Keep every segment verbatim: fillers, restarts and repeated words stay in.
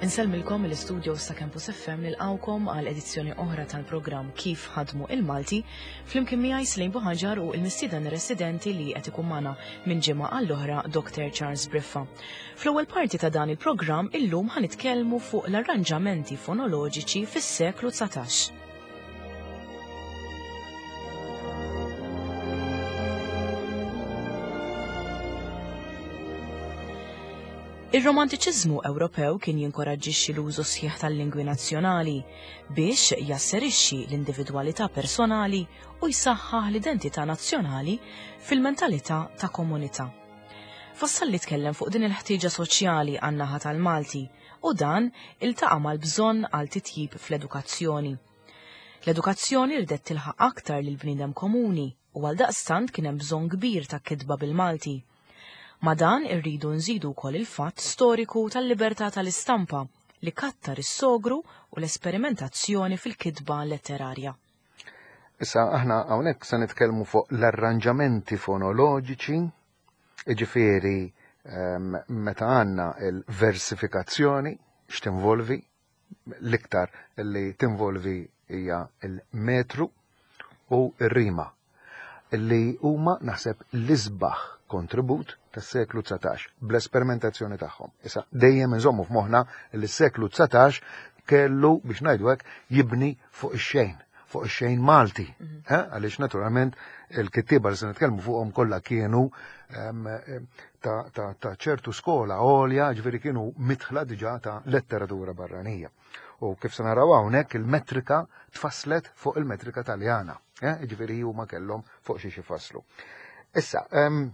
Insellmilkom mill-istudio sa' Campus F M, nilqawkom għal edizzjoni oħra tal-programm Kif Ħadmu il-Malti, flimkien miegħi Slejn Buħaġar u il-mistieden residenti li qed ikun magħna minn ġimgħa għall-oħra, Doctor Charles Briffa. Fl-ewwel parti ta' dan il-programm illum ħa nitkellmu fuq l-arranġamenti fonoloġiċi fis-seklu dsatax. Ir-romantiċiżmu Ewropew kien jinkoraġġixxi l-użu sħiħ tal-lingwi nazzjonali biex jasserixxi l-individwalità personali u jsaħħaħ l-identità nazzjonali fil-mentalità ta' komunità. Vassalli tkellem fuq din il-ħtieġa soċjali għan-naħa tal-Malti u dan iltaqa' mal-bżonn għal titjib fl-edukazzjoni. L-edukazzjoni rdet tilħaq aktar lil bniedem komuni u għal daqstant kien hemm bżonn kbir ta' kitba bil-Malti. Ma dan irridu nżidu wkoll il-fatt storiku tal-libertà tal-istampa li kattar is-sogru u l-esperimentazzjoni fil-kitba letterarja. Issa aħna hawnhekk se nitkellmu fuq l-arranġamenti fonoloġiċi, jiġifieri, ehm, meta għandna l-versifikazzjoni x'tinvolvi, l-iktar li tinvolvi hija l-metru u r-rima, li huma naħseb l-isbaħ kontribut tas-seklu dsatax bl-esperimentazzjoni tagħhom. Issa dejjem inżommu f'moħħna li s-seklu dsatax kellu, biex ngħidu hekk, jibni fuq ix-xejn, fuq ix-xejn Malti. Mhm. Eh, għaliex naturalment il-kittieba li se nitkellmu fuqhom kollha kienu, ehm, ta', ta, ta' ċertu skola għolja, ġifieri kienu mitħla diġà ta' letteratura barranija. U kif se naraw hawnhekk il-metrika tfasslet fuq il-metrika Taljana, eh, ġifieri huma kellhom fuq xi ifasslu. Issa, ehm,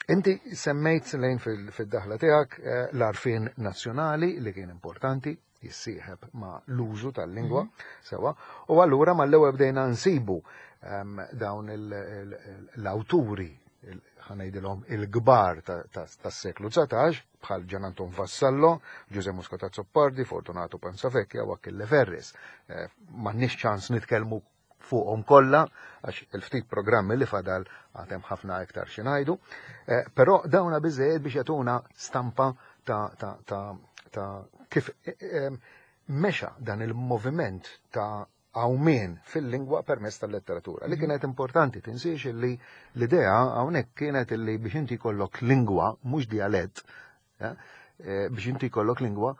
inti semmejt lejn fil-, fid-daħla tiegħek, eh, l-għarfien nazzjonali li kien importanti jissieħeb ma' l-użu tal-lingwa, Mhm. sewa, u allura mal-ewwel bdejna nsibu, ehm, dawn il-, il-, l-awturi, il-, ħanejdilhom il-kbar ta-, ta-, tas-seklu dsatax, bħal Gian Anton Vassallo, Ġuże Muscat Azzopardi, Fortunato Panzavecchia u Achille Ferris. Eh, m'għandniex ċans nitkellmu fuqhom kollha, għax il-ftit programmi li fadal għadhem ħafna iktar xi ngħidu, eh, però dawna biżejjed biex jagħtuna stampa ta', ta', ta', ta' kif, eh, eh, mexa dan il-moviment ta' għawmien fil-lingwa permezz tal-letteratura. Li Mhm. kienet importanti, tinsiex li l-idea hawnhekk kienet li biex inti jkollok lingwa, mhux dialett, eh, eh, biex inti jkollok lingwa,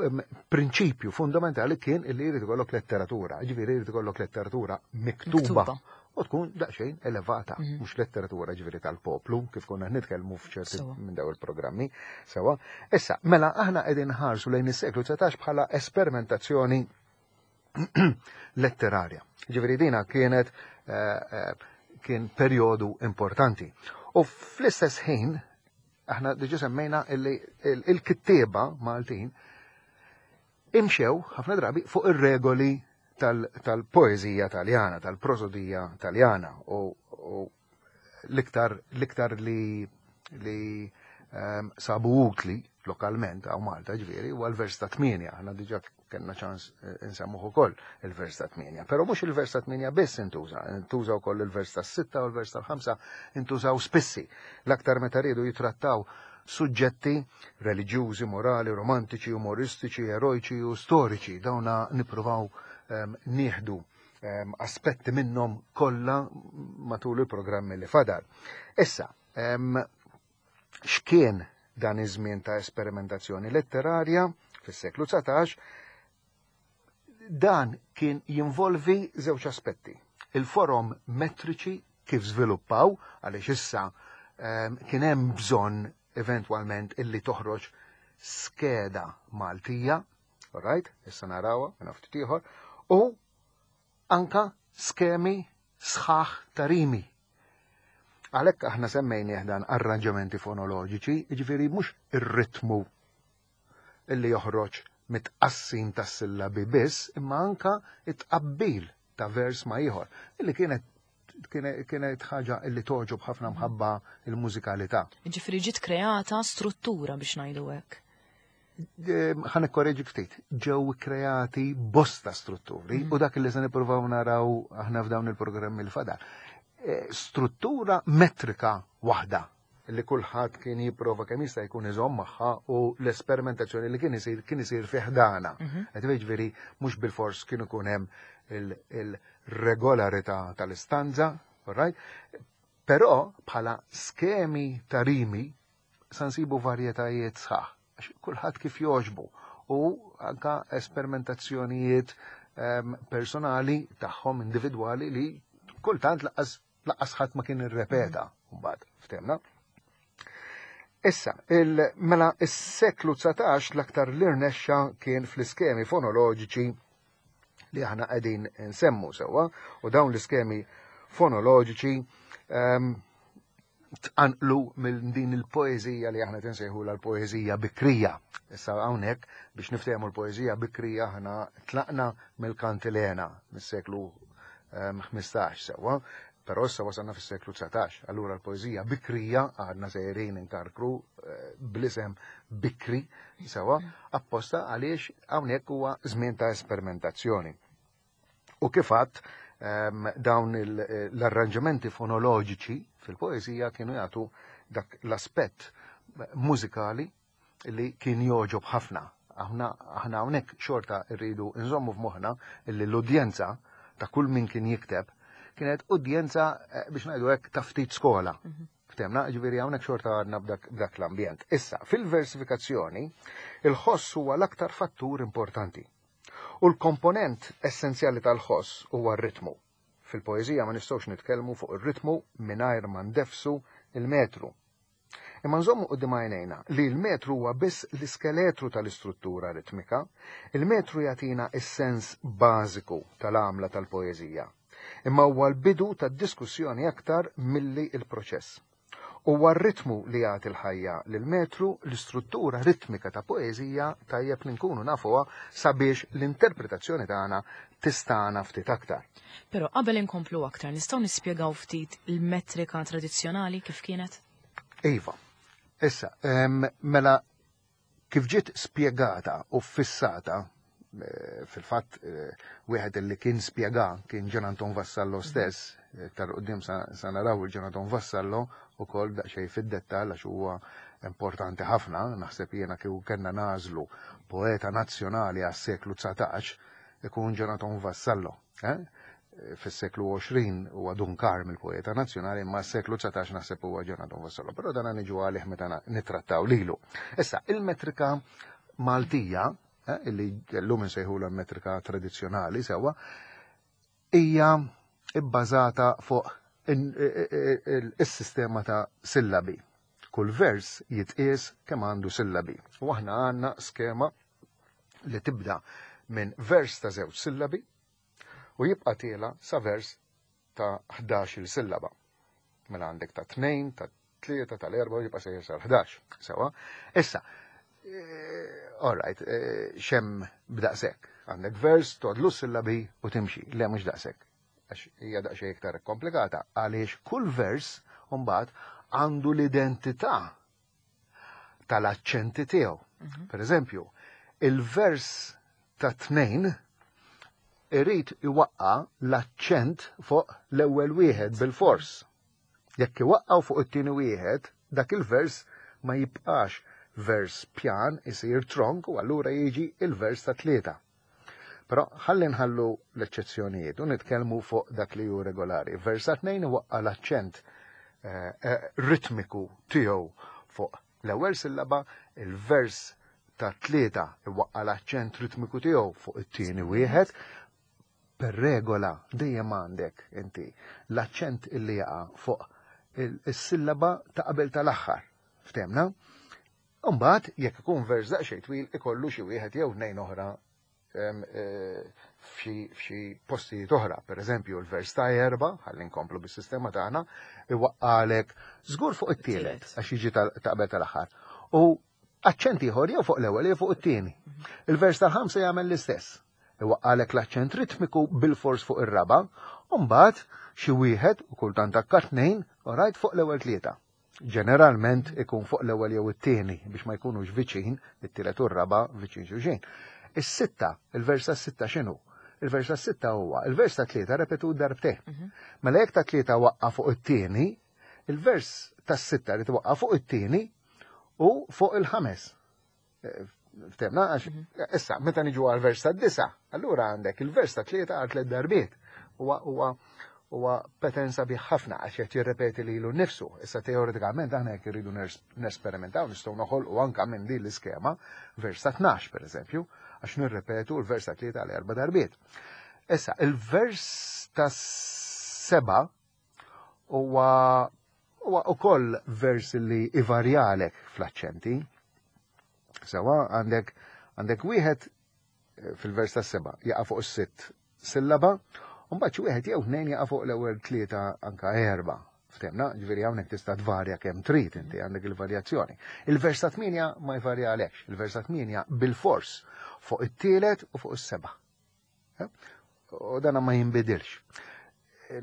em, prinċipju fundamentali kien li jrid ikollok letteratura, ġifieri jrid ikollok letteratura miktuba. Miktuba. U tkun daqsxejn elevata, Mhm. mhux letteratura ġifieri tal-poplu, kif konna nitkellmu f'ċerti Sewa. minn dawn il-programmi. Sewa. Issa, mela aħna qegħdin nħarsu lejn is-seklu dsatax bħala esperimentazzjoni letterarja. Ġifieri dina kienet, eh, eh, kien perjodu importanti. U fl-istess ħin, aħna diġà semmejna illi il-, il-kittieba Maltin imxew ħafna drabi fuq ir-regoli tal-, tal-poeżija Taljana, tal-prosodija Taljana, u, u l-iktar, l-iktar li, li, ehm, sabu utli lokalment għaw Malta ġifieri huwa l-vers ta' tmienja. Aħna diġà kellna ċans, eh, insemmuh ukoll il-vers ta' tmienja. Però mhux il-vers ta' tmienja biss intuża, intuża wkoll il-vers ta' sitta u l-vers tal-ħamsa intużaw spissi. L-aktar meta riedu jitrattaw suġġetti reliġjużi, morali, romantiċi, umoristiċi, erojċi u storiċi. Dawna nippruvaw, ehm, nieħdu, ehm, aspetti minnhom kollha matul il-programmi li fadal. Issa, ehm, x'kien dan iż-żmien ta' esperimentazzjoni letterarja fis-seklu dsatax? Dan kien jinvolvi żewġ aspetti. Il-forom metriċi kif żviluppaw, għaliex issa, ehm, kien hemm bżonn eventwalment illi toħroġ skeda Maltija, all right, issa narawha minn ftit ieħor, u anka skemi sħaħ ta' rimi. Għalhekk aħna semmejnieh dan arranġamenti fonoloġiċi, jiġifieri mhux ir-ritmu illi joħroġ mit-tqassim tas-sillabi biss, imma anka it-tqabbil ta' vers ma' ieħor, illi kienet, kienet, kienet ħaġa illi toġob ħafna mħabba il-mużikalità. Ġifieri ġiet kreata struttura biex ngħidu hekk. Ehm, ħa nikkoreġi ftit, ġew kreati bosta strutturi Mhm. u dak li se nippruvaw naraw aħna f'dawn il-programmi l fadal. Eh, struttura metrika waħda li kulħadd kien jipprova kemm jista' jkun iżomm magħha u l-esperimentazzjoni li kien isir kien isir fi ħdana. Qed jiġifieri mhux bilfors kien ikun hemm il-regolarità tal-istanza, right? Però bħala skemi ta' rimi sa nsibu varjetajiet sħaħ, għax kulħadd kif jogħġbu u anka esperimentazzjonijiet ehm, personali tagħhom individwali li kultant lanqas lanqas ħadd ma kien irrepeta mbagħad, ftehmna. Issa, il, mela is-seklu dsatax l-aktar li rnexxa kien fl-iskemi fonoloġiċi li aħna qegħdin nsemmu sewwa, u dawn l-iskemi fonoloġiċi um, tqanqlu minn din il-poeżija li aħna tinsejħu l-poeżija bikrija. Issa hawnhekk biex niftehmu l-poeżija bikrija aħna tlaqna mill-kantilena mis-seklu ħmistax sewwa, però issa wasalna fis-seklu dsatax. Allura l-poeżija bikrija għadna sejrin inkarkru eh, bl-isem bikri sewwa, apposta għaliex hawnhekk huwa żmien ta' esperimentazzjoni. U kif għadt, um, dawn l-arranġamenti fonoloġiċi fil-poeżija kienu jagħtu dak l-aspett mużikali li kien jogħġob ħafna. Aħna aħna hawnhekk xorta rridu nżommu f'moħħna li l-udjenza ta' kull min kien jikteb kienet udjenza eh, biex ngħidu hekk ta' ftit skola. Ftehmna, ġifieri hawnhekk xorta għadna b'dak l-ambjent. Issa, fil-versifikazzjoni, il-ħoss huwa l-aktar fattur importanti. U l-komponent essenzjali tal-ħoss huwa r-ritmu. Fil-poeżija ma nistgħux nitkellmu fuq ir-ritmu mingħajr ma ndefsu il-metru. Imma nżommu quddiem għajnejna li l-metru huwa biss l-iskeletru tal-istruttura ritmika, il-metru jagħtina is-sens bażiku tal-għamla tal-poeżija. Imma huwa l-bidu tad-diskussjoni aktar milli il-proċess. Huwa r-ritmu li jagħti l-ħajja lil metru. L-istruttura ritmika ta' poeżija tajjeb li nkunu nafuha sabiex l-interpretazzjoni tagħna tistana ftit aktar. Però qabel inkomplu aktar, nistgħu nispjegaw ftit il-metrika tradizzjonali kif kienet? Iva. Issa, em, mela kif ġiet spjegata u fissata eh, fil-fatt eh, wieħed li kien spjega kien Gian Anton Vassallo stess, iktar quddiem sa, sa naraw il-Gian Anton Vassallo ukoll daqsxejn fid-dettall għax huwa importanti ħafna, naħseb jiena kieku kellna nagħżlu poeta nazzjonali għas-seklu dsatax ikun Gian Anton Vassallo. Eh? Fis-seklu għoxrin huwa Dun Karm il-poeta nazzjonali, imma s-seklu dsatax naħseb huwa Gian Anton Vassallo. Però dan niġu għalih meta nittrattaw lilu. Issa, il-metrika Maltija, eh, illi llum insejħula metrika tradizzjonali sewwa, hija ibbażata fuq is-sistema ta' sillabi. Kull vers jitqies kemm għandu sillabi. U aħna għandna skema li tibda minn vers ta' żewġ sillabi u jibqa' tiela sa vers ta' ħdax-il sillaba. Mela għandek ta' tnejn, ta' tlieta, tal-erba' u jibqa' sejjer sa' ħdax. Sewwa. Issa, all right, x'hemm b'daqshekk? Għandek vers, tgħoddlu sillabi u timxi. Le, mhux daqshekk. Għax hija daqsxejn iktar komplikata għaliex kull vers mbagħad għandu l-identità tal-aċċenti tiegħu. Per eżempju, il-vers ta' tnejn irid iwaqqa l-aċċent fuq l-ewwel wieħed bil-fors. Jekk iwaqqaw fuq it-tieni wieħed, dak il-vers ma jibqax vers pjan, isir tronk u allura jiġi il-vers ta' tlieta. Però ħalli nħallu l-eċċezzjonijiet u nitkellmu fuq dak li hu regolari. Vers ta' tnejn iwaqqa l-aċċent eh, eh, ritmiku tiegħu fuq l-ewwel sillaba, il-vers ta' tlieta iwaqqa l-aċċent ritmiku tiegħu fuq it-tieni wieħed. Per regola dejjem għandek inti l-aċċent illi jaqa' fuq il-sillaba ta' qabel tal-aħħar. Ftehmna? Mbagħad jekk ikun vers daqsxejn twil ikollu xi wieħed jew tnejn oħra eh, f'xi postijiet oħra. Per eżempju, il-vers ta' erba, ħalli nkomplu bis-sistema tagħna, iwaqqalek żgur fuq it-tielet għax jiġi ta' qabel tal-aħħar. U aċċent ieħor jew fuq l-ewwel jew fuq it-tieni. Il-vers tal-ħamsa jagħmel l-istess. Iwaqqalek l-aċċent ritmiku bil-fors fuq ir-raba, u mbagħad xi wieħed u kultant akka tnejn, rajt fuq l-ewwel tlieta. Ġeneralment ikun fuq l-ewwel jew it-tieni biex ma jkunux viċin, it-tielet u r-raba viċin xulxin. Is-sitta, il-vers tas-sitta x'inhu? Il-vers tas-sitta huwa il-vers ta' tlieta repetut darbtejn. Mela jekk ta' tlieta waqqa fuq it-tieni, Il-vers tas-sitta li twaqqa fuq it-tieni u fuq il-ħames. Eh, ftehmna, għax mhm. issa, meta niġu għal vers tad-disa, allura għandek il-vers ta' tlieta għal tliet darbiet. Huwa huwa huwa pattern sabiħ ħafna għax qed jirrepeti lilu nnifsu. Issa teoretikament aħna jekk irridu nesperimentaw nistgħu noħolqu anka minn din l-iskema vers ta' tnax pereżempju, għax nirrepetu l-vers ta' tlieta għal erba' darbiet. Issa, il-vers ta' seba' huwa huwa ukoll vers li ivarjalek fl-aċċenti. Sewa għandek għandek wieħed eh, fil-vers ta' seba' jaqa' fuq is-sitt sillaba, u mbagħad xi wieħed jew tnejn jaqa' fuq l-ewwel tlieta anka erba'. Ftehmna, ġifieri hawnhekk tista' tvarja kemm trid inti għandek il-varjazzjoni. Il-vers ta' tmienja ma jvarjalekx, il-vers ta' tmienja bil-fors fuq it-tielet u fuq is-seba'. Eh? U dana ma jinbidilx.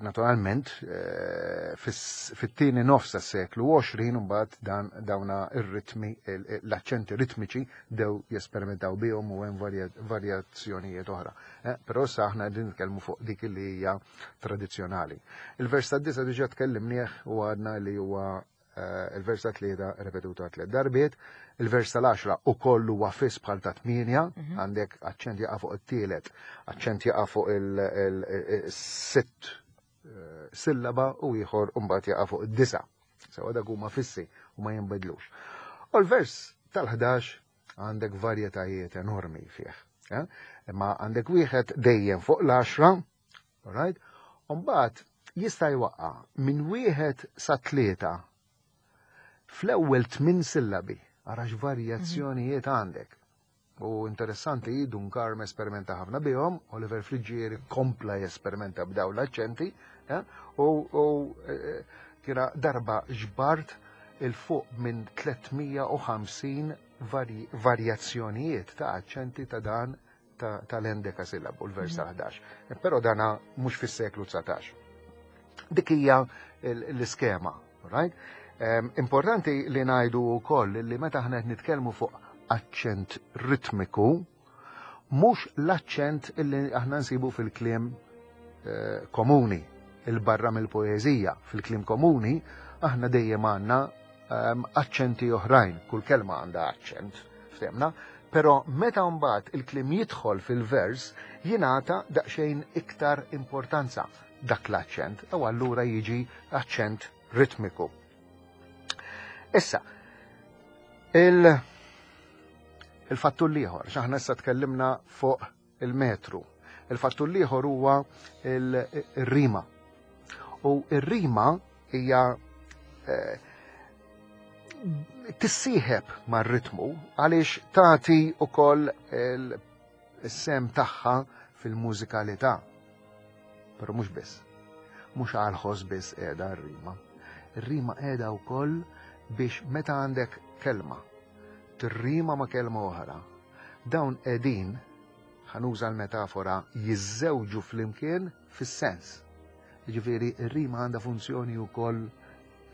Naturalment, eh, fit-tieni nofs tas-seklu għoxrin mbagħad dan dawna ir-ritmi, l-aċċenti ritmiċi dew jesperimentaw bihom u hemm varjazzjonijiet oħra. Eh, però issa aħna qegħdin nitkellmu fuq dik li hija tradizzjonali. Il-vers tad-disa diġà tkellimnieh u għadna li huwa eh, il-vers ta' tlieta repetuta tliet darbiet, il-vers tal-għaxra ukoll huwa fiss bħal ta' tmienja, mhm. għandek aċċent jaqa' fuq it-tielet, aċċent jaqa' fuq il-sitt eh, sillaba u ieħor mbagħad jaqa' fuq id-disa. Sewa dak huma fissi u ma jinbidlux. U l-vers tal-ħdax għandek varjetajiet enormi fih. Eh? Imma għandek wieħed dejjem fuq l-għaxra, right? U mbagħad jista' jwaqqa' minn wieħed sa tlieta fl-ewwel tmien sillabi. Ara x'varjazzjonijiet għandek. U interessanti, Dun Karm esperimenta ħafna bihom, Oliver Friggieri kompla jesperimenta b'daw l-aċċenti, eh? u, u eh, kiena darba ġbart il-fuq minn tliet mija u ħamsin varjazzjonijiet ta' aċċenti ta' dan tal-endekasillabu, l-vers mhm. tal-ħdax. Però dana mhux fis-seklu dsatax. Dik hija l-iskema, right? Importanti li ngħidu wkoll li meta aħna qed nitkellmu fuq aċċent ritmiku, mhux l-aċċent illi aħna nsibu fil-kliem eh, komuni, il-barra mill-poeżija. Fil-kliem komuni aħna dejjem għandna ehm, aċċenti oħrajn, kull kelma għandha aċċent, ftehmna, però meta mbagħad il-kliem jidħol fil-vers jingħata daqsxejn iktar importanza dak l-aċċent, u allura jiġi aċċent ritmiku. Issa, il- il-fattur l-ieħor, x'aħna issa tkellimna fuq il-metru. Il-fattur l-ieħor huwa il-rima. U ir-rima hija, eh, tissieħeb mar-ritmu għaliex tagħti wkoll il-sem tagħha fil-mużikalità. Però mhux biss. Mhux għal-ħoss biss qiegħda r-rima. Ir-rima qiegħda wkoll biex meta għandek kelma tirrima ma' kelma oħra, dawn qegħdin, ħanuża l-metafora, jiżżewġu flimkien fis-sens. Jiġifieri r-rima għandha funzjoni wkoll,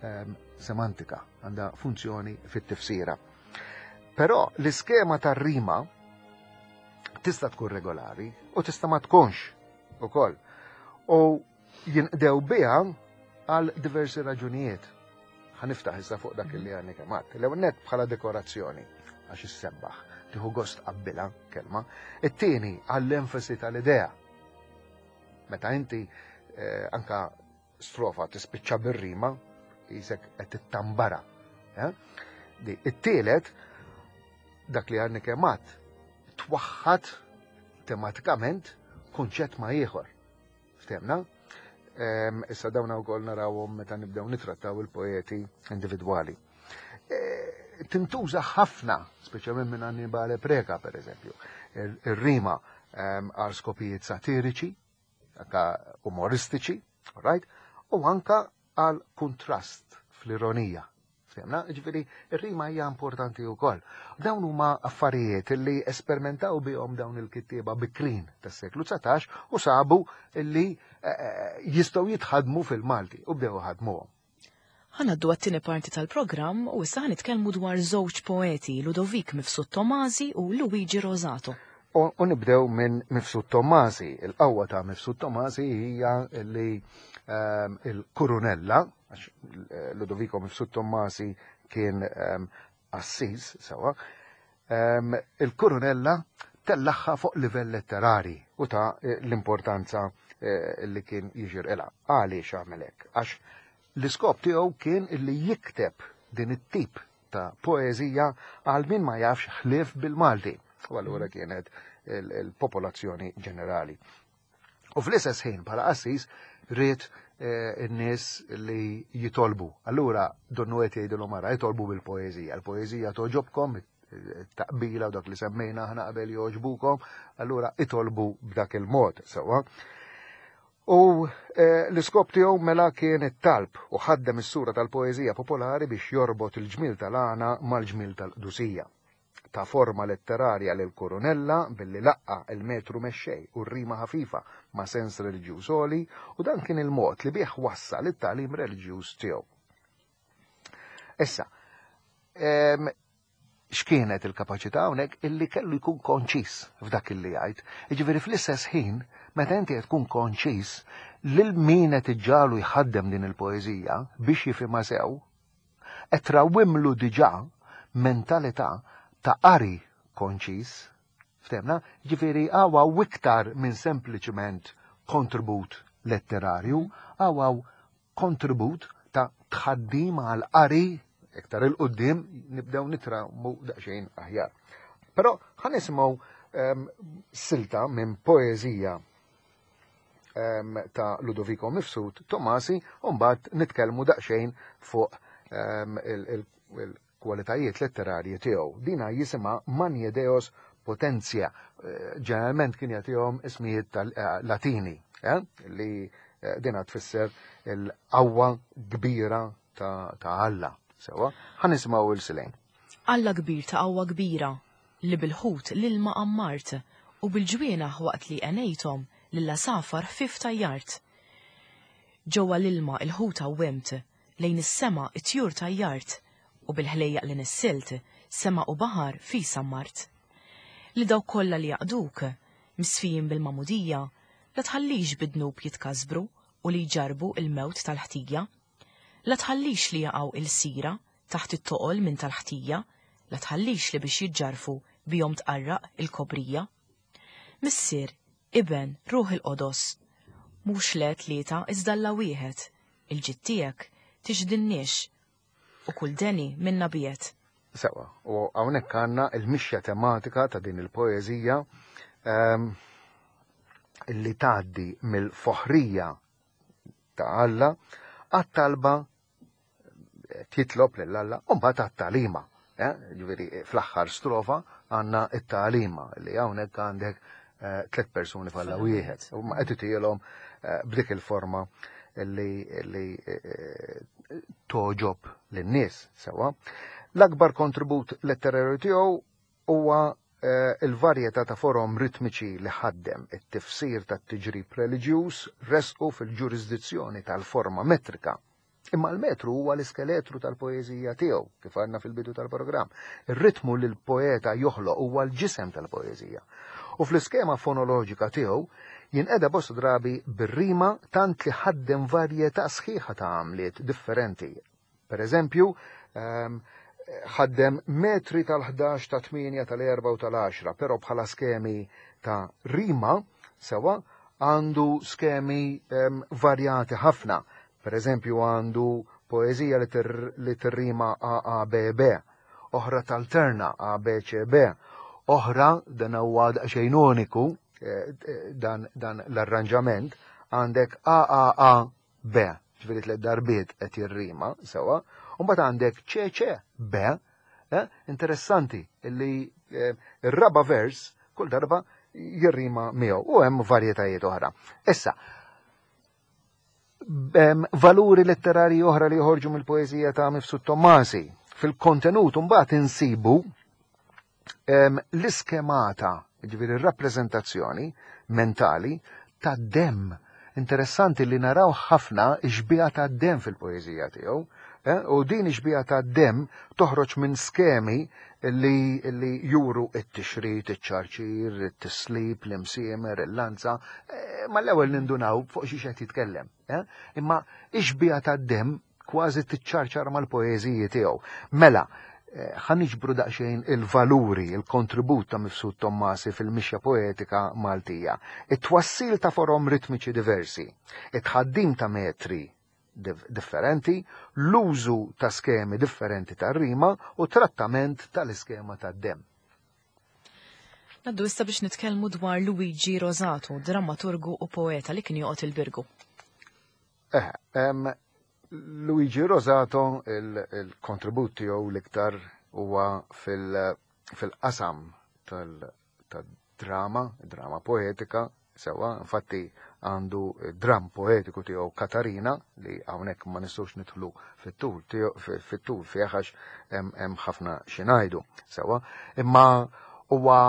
ehm, semantika, għandha funzjoni fit-tifsira. Però l-iskema tar-rima tista' tkun regolari u tista' ma tkunx ukoll. U jinqdew biha għal diversi raġunijiet. Ħaniftaħ issa fuq dak li għandni kemm għadt. L-ewwel nett bħala dekorazzjoni, għax issebbaħ, tieħu gost qabbilha kelma. It-tieni għall-enfasi tal-idea. Meta inti, eh, anka strofa tispiċċa bir-rima, jisek qed tittambara. Eh? Di, it-tielet, dak li għandni kemm għadt, twaħħad tematikament kunċett ma' ieħor. Ftehmna? Ehm, issa dawn wkoll narawhom meta nibdew nitrattaw il-poeti individwali. E, tintuża ħafna, speċjalment minn Annibale Preca, per eżempju, ir-rima, ehm, għal skopijiet satiriċi, anka umoristiċi, right? U anka għal kontrast fl-ironija. Ftehmna? Ġifieri, ir-rima hija importanti wkoll. Dawn huma affarijiet li esperimentaw bihom dawn il-kittieba bikrin tas-seklu dsatax u sabu li, eh, eh, jistgħu jitħadmu fil-Malti u bdew ħadmuhom. Ħanaddu għat-tieni parti tal-programm u issa ħanitkellmu dwar żewġ poeti, Ludovik Mifsud Tomasi u Luigi Rosato. U nibdew minn Mifsud Tommasi. Il-qawwa ta' Mifsud Tommasi hija li ehm, il-Kurunella, għax eh, Ludovico Mifsud Tommasi kien ehm, assis, sewa, ehm, il-Kurunella tellaħħa fuq livell letterari u ta' l-importanza eh, li kien jiġir ila. Għaliex għamel hekk? Għax l-iskop tiegħu kien illi jikteb din it-tip ta' poeżija għal min ma jafx ħlief bil-Malti. U allura kienet il-popolazzjoni ġenerali. U fl-istess ħin bħala qassis ried eh, in-nies li jitolbu. Allura donnu qed jgħidilhom ara jitolbu bil-poeżija. Il-poeżija toġobkom, taqbila u dak li semmejna aħna qabel jogħġbukom, allura itolbu b'dak il-mod sewwa. U eh, l-iskop tiegħu mela kien it-talb u ħaddem is-sura tal-poeżija popolari biex jorbot il-ġmil tal-għana mal-ġmil tal-qdusija. Ta' forma letterarja lil Kurunella billi laqqa il-metru mexxej u r-rima ħafifa ma' sens reliġjuż għoli, u dan kien il-mod li bih wassal it-tagħlim reliġjuż tiegħu. Issa, x'kienet il-kapaċità hawnhekk illi kellu jkun konċis f'dak illi jgħid. Jiġifieri fl-istess ħin, meta inti qed tkun konċis, lil min qed iġġalu jħaddem din il-poeżija biex jifhimha sew, qed trawwimlu diġà mentalità ta' qari konċis, ftemna, ġifieri għawaw iktar minn sempliċement kontribut letterarju, għawaw kontribut ta' tħaddim għal qari iktar il-qoddim nibdew nitrawmu daqsxejn aħjar. Però ħa nisimgħu um, silta minn poeżija um, ta' Ludovico Mifsud Tommasi, u mbagħad nitkellmu daqsxejn fuq um, il-, il, il kwalitajiet letterarji tiegħu. Dina jisimha Magni Deos Potentia. Ġeneralment kien jagħtihom ismijiet tal-Latini, eh, li eh, dina tfisser il-qawwa kbira ta', ta Alla. Sewa, ħa nisimgħu il-silejn. Alla kbir ta' qawwa kbira, li bil-ħut l-ilma ammart u bil-ġwienaħ waqt li għenejthom lill-għasafar ħfif tajjart. Ġewwa l-ilma il-ħut għawwimt, lejn is-sema it-tjur tajjart, u bil-ħlejjaq li nissilt, sema u baħar fi sammart. Li dawk kollha li jaqduk, misfijin bil-mamudija, la tħallix bidnub jitkasbru u li jġarbu il-mewt tal-ħtija. La tħallix li jaqgħu il-sira taħt it-toqol minn tal-ħtija, la tħallix li biex jiġġarfu bihom tqarraq il-kobrija. Missier, Iben, Ruħ il-Qodos, mhux le tlieta iżda Alla wieħed, il-ġid tiegħek tixdinniex u kull deni minna biet. Sewa, u hawnhekk għandna il-mixja tematika ta' din il-poeżija um, li tgħaddi mill-foħrija ta' Alla għat-talba titlob lil Alla u mbagħad għat-talima. Eh? Ġifieri fl-aħħar strofa għandna it-talima li hawnhekk għandek eh, tliet persuni f'Alla wieħed. U ma qed itielhom eh, b'dik il-forma li, li eh, toġob lin-nies sewa. L-akbar kontribut letterarju tiegħu huwa eh, il-varjetà ta' forom ritmiċi li ħaddem it-tifsir tat-tiġrib reliġjuż resqu fil-ġurisdizzjoni tal-forma metrika. Imma l-metru huwa l-iskeletru tal-poeżija tiegħu, kif għandna fil-bidu tal-programm. Ir-ritmu li l-poeta joħloq huwa l-ġisem tal-poeżija. U fl-iskema fonoloġika tiegħu jinqeda bosta drabi bir-rima tant li ħaddem varjetà sħiħa ta' għamliet differenti. Per eżempju, ehm, ħaddem metri tal-ħdax, ta' tmienja, tal-erba' u tal-għaxra, però bħala skemi ta' rima sewa għandu skemi ehm, varjati ħafna. Per eżempju, għandu poeżija li tir-, li tirrima A A B B, oħra tal-terna A B C B, oħra dan huwa daqsxejn uniku, eh, eh, dan, dan l-arranġament, għandek A A A B, ġifieri tliet darbiet qed jirrima sewa, u mbagħad għandek C C B, eh, interessanti li, eh, ir-raba vers kull darba jirrima miegħu u hemm varjetajiet oħra. Issa, hemm valuri letterari oħra li joħorġu mill-poeżija ta' Mifsud Tommasi. Fil-kontenut mbagħad insibu, em, l-iskemata, ġifieri r-rappreżentazzjoni mentali ta' dem. Interessanti li naraw ħafna xbieha ta' dem fil-poeżija tiegħu. Eh, u din ix-xbieha ta' demm toħroġ minn skemi li, li juru it-tixrid, iċ-ċarċir, it-tislib, l-imsiemer, il-lanza, eh, ma l-ewwel nindunaw fuq xi qed jitkellem. Eh? Imma ix-xbieha ta' demm kważi tiċċarċar mal-poeżiji tiegħu. Mela, ħa niġbru daqsxejn il-valuri, il-kontribut ta' Mifsud Tommasi fil-mixja poetika Maltija. It-twassil ta' forom ritmiċi diversi, it-tħaddim ta' metri differenti, l-użu ta' skemi differenti ta' rima u trattament tal-iskema ta' demm. Ngħaddu issa biex nitkellmu dwar Luigi Rosato, drammaturgu u poeta li kien joqgħod il-Birgu. Eh, em, Luigi Rosato, il-kontribut tiegħu l-iktar huwa fil-qasam tal-drama, drama poetika, sewa, infatti għandu dram poetiku tiegħu Katarina li hawnhekk ma nistgħux nidħlu fit-tul fit-tul fih għax hemm ħafna xi ngħidu, sewa, imma huwa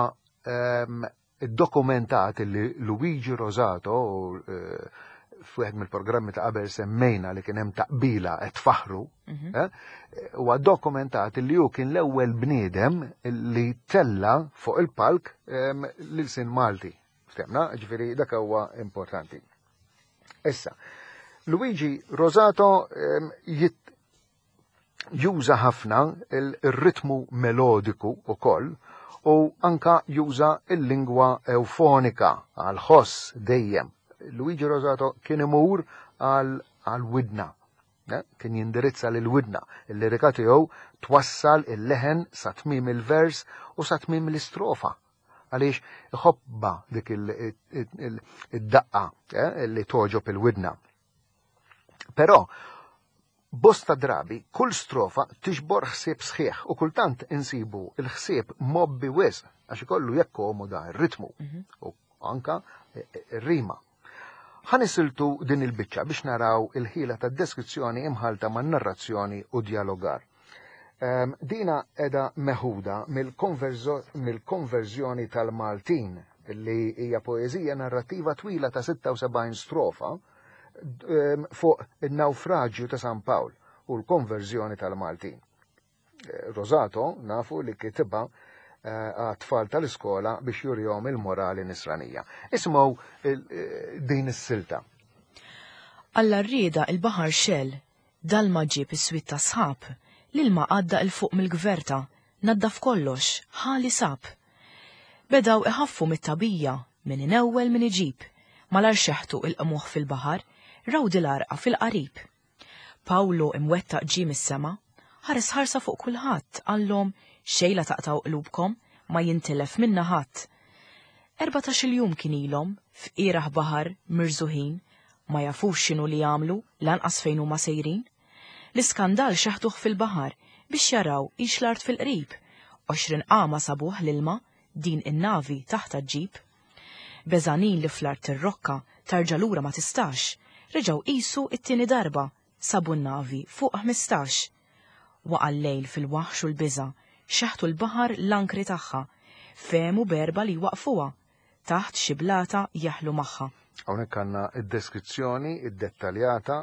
iddokumentat li Luigi Rosato eh, f'wieħed mill-programmi ta' qabel semmejna li kien hemm taqbila qed faħru, mhm. eh, huwa dokumentat li hu kien l-ewwel bniedem li tella fuq il-palk l-ilsien Malti. Ftemna, ġifieri dak huwa importanti. Issa, Luigi Rosato juża ħafna il-ritmu melodiku u koll u anka juża il-lingwa eufonika għal ħoss dejjem. Luigi Rosato kien imur għal widna, eh, kien jindirizza lil widna. Il-lirika tiegħu twassal il-leħen sa tmim il-vers u sa tmim l-istrofa għaliex iħobba dik id-daqqa eh, li toġob il-widna. Però bosta drabi kull strofa tiġbor ħsieb sħiħ u kultant insibu il-ħsieb mgħobbi wisq għax ikollu jakkomoda r-ritmu mhm. u anka ir-rima. Ħa nisiltu din il-biċċa biex naraw il-ħila ta' deskrizzjoni imħalta ma' narrazzjoni u dialogar. Um, dina edha meħuda mill-konverżjoni tal-Maltin li hija poeżija narrativa twila ta' sitta u sebgħin strofa um, fuq il-naufraġju ta' San Pawl u l-konverżjoni tal-Maltin. Eh, Rosato nafu li kitibha eh, għat-tfal tal-iskola biex jurihom il-morali nisranija. Isimgħu eh, din is-silta. Alla rrieda il-baħar xell, dalma ġieb is-swit ta' sħab, l-ilma għadda 'l fuq mill-gverta, naddaf kollox, ħali sab. Bedaw iħaffu mit-tabija, min inewwel min iġib, malar xeħtu il-qmuħ fil-baħar, raw dil-arqa fil-qarib. Pawlo imwettaq ġie mis-sema, ħares ħarsa fuq kulħadd, qallhom xejn la taqtgħu qlubkom, ma jintilef minna ħadd. Erbatax-il jum kien ilhom f'ieraħ baħar mirżuħin, ma jafux x'inhu li jagħmlu lanqas fejn huma sejrin. L-iskandal xeħtuh fil-baħar biex jaraw hix l-art fil-qrib. Għoxrin qama sabuh l-ilma din in-navi taħt ġib. Beżanin li fl-art ir-rokka tarġa' lura ma tistax, reġgħu qisu it-tieni darba sabu n-navi fuq ħmistax. Waqa' l-lejl fil-waħx u l-biża', xeħtu l-baħar l-ankri tagħha, fehmu berba li waqfuha, taħt xi blata jaħlu magħha. Hawnhekk għandna id-deskrizzjoni id-dettaljata,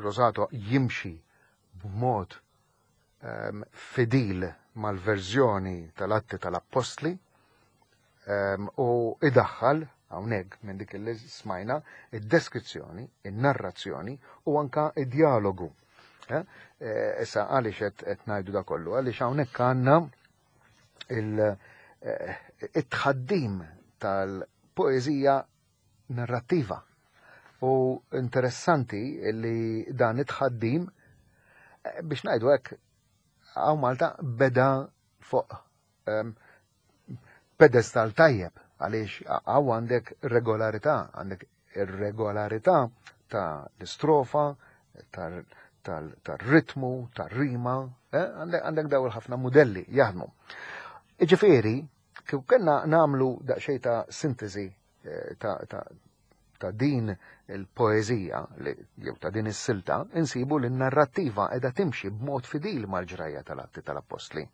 Rosato jimxi b'mod fidil mal-verżjoni tal-Atti tal-Appostli u idaħħal hawnhekk minn dik li smajna id-deskrizzjoni, in-narrazzjoni u anka id-dialogu. Eh, eh, issa għaliex qed ngħidu da kollu, għaliex hawnhekk għandna il-tħaddim eh, tal-poeżija narrattiva. U interessanti li dan it-tħaddim biex ngħidu hekk hawn Malta beda fuq um, pedestal tajjeb għaliex hawn għandek regolarità, għandek ir-regolarità ta' l-istrofa, tal-ritmu, tal-rima, eh, għandek daw il-ħafna modelli jaħdmu. Iġifieri, kif kellna nagħmlu daqsxejn ta' sintesi eh, ta', ta, ta' din il-poezija jew ta' din is-silta, insibu li n-narrattiva qiegħda timxi b'mod fidil mal-ġrajja tal-Atti tal-Appostli.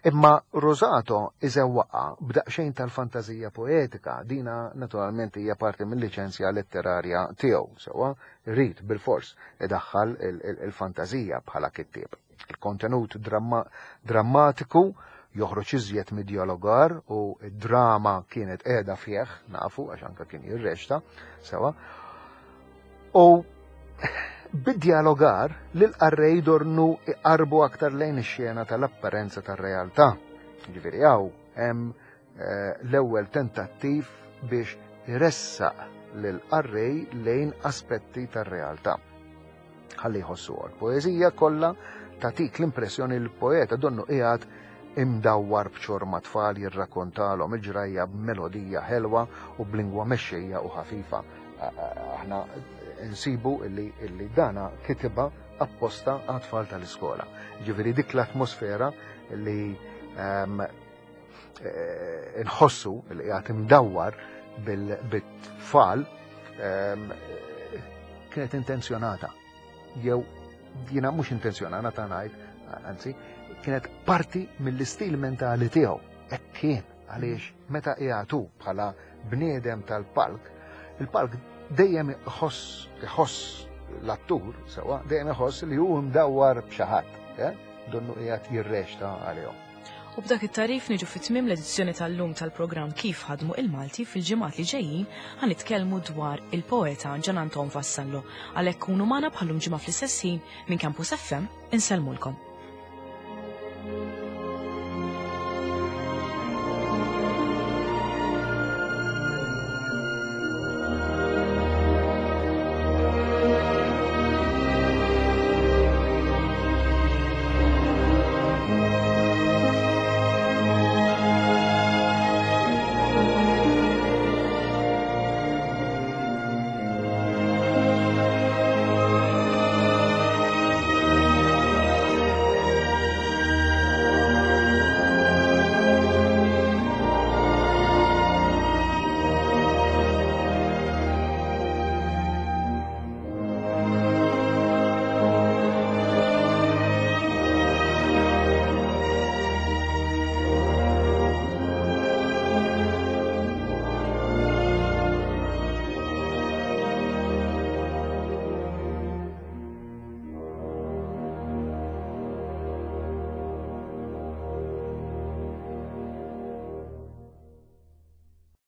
Imma Rosato iżewwaqa b'daqsxejn tal-fantazija poetika, dina naturalment hija parti mill-liċenzja letterarja tiegħu, sewwa rrid bil-fors idaħħal il-fantazija bħala kittieb. Il-kontenut dramma drammatiku joħroġ iżjed mid-dialogar u d-drama kienet qiegħda fih, nafu għax anke kien jirreċta, sewwa. U bid-dialogar lil qarrej dornu iqarbu aktar lejn ix-xena tal-apparenza tar-realtà. Ġifieri hawn hemm eh, l-ewwel tentattiv biex iressaq lil qarrej lejn aspetti tar-realtà. Ħalli jħossu. Poeżija kollha tatik l-impressjoni li l-poeta donnu qiegħed imdawwar b'ċorma tfal jirrakkontalhom il-ġrajja b'melodija ħelwa u b'lingwa mexxejja u ħafifa. Aħna nsibu illi, illi dana kitibha apposta għat-tfal tal-iskola. Ġifieri dik l-atmosfera li um, nħossu li qiegħed imdawwar bil-tfal um, kienet intenzjonata. Jew jiena mhux intenzjonata ta' ngħid, anzi, kienet parti mill-istil mentali tiegħu. Hekk kien, għaliex meta qiegħdu bħala bniedem tal-palk, il-palk dejjem iħoss iħoss l-attur sewwa, dejjem iħoss li hu mdawwar b'xi ħadd, eh? Donnu qiegħed jirreċta għalihom. U b'dak it-tagħrif niġu fit-tmiem l-edizzjoni tal-lum tal-programm Kif Ħadmu il-Malti. Fil-ġimgħat li ġejjin ħa nitkellmu dwar il-poeta Gian Anton Vassallo. Għalhekk kunu magħna bħallum ġimgħa fl-istess ħin. Minn Campus F M insellmulkom.